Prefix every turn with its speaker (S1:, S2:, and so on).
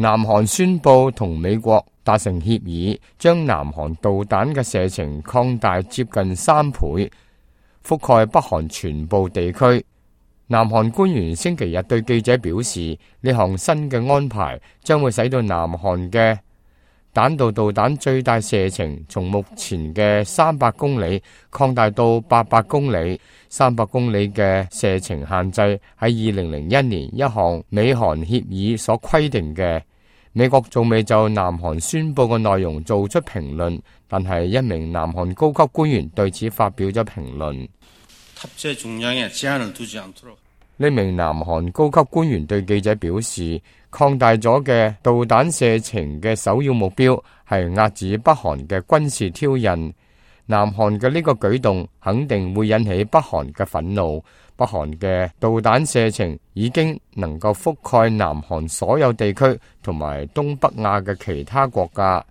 S1: 南韓宣布同美國達成協議，將南韓導彈嘅射程擴大接近3倍，覆蓋北韓全部地區。南韓官員星期日對記者表示，呢項新嘅安排將會使到南韓嘅彈道導彈最大射程從目前嘅300公里擴大到800公里。300公里嘅射程限制喺2001年一項美韓協議所規定嘅。美國仲未就南韓宣佈嘅內容做出評論，但係一名南韓高級官員對此發表咗評論。呢名南韓高級官員對記者表示，擴大咗嘅導彈射程嘅首要目標係遏止北韓嘅軍事挑釁。南韓嘅呢個舉動肯定會引起北韓嘅憤怒。北韓嘅導彈射程已經能夠覆蓋南韓所有地區同埋東北亞嘅其他國家。